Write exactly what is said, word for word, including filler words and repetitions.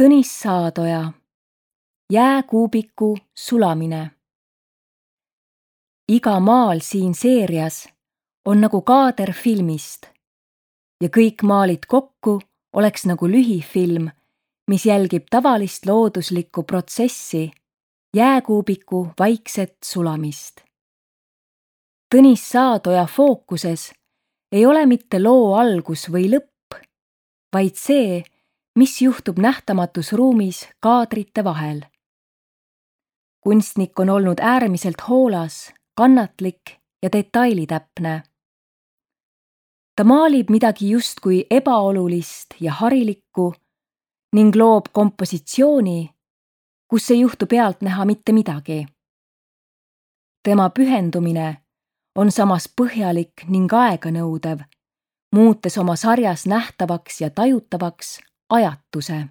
Tõnis Saadoja, Jääkuubiku sulamine. Iga maal siin seerias on nagu kaader filmist ja kõik maalid kokku oleks nagu lühifilm, mis jälgib tavalist looduslikku protsessi, jääkuubiku vaikset sulamist. Tõnis Saadoja fookuses ei ole mitte loo algus või lõpp, vaid see, mis juhtub nähtamatus ruumis kaadrite vahel. Kunstnik on olnud äärmiselt hoolas, kannatlik ja detailitäpne. Ta maalib midagi justkui ebaolulist ja harilikku ning loob kompositsiooni, kus ei juhtu pealt näha mitte midagi. Tema pühendumine on samas põhjalik ning aeganõudev, muutes oma sarjas nähtavaks ja tajutavaks ajatuse.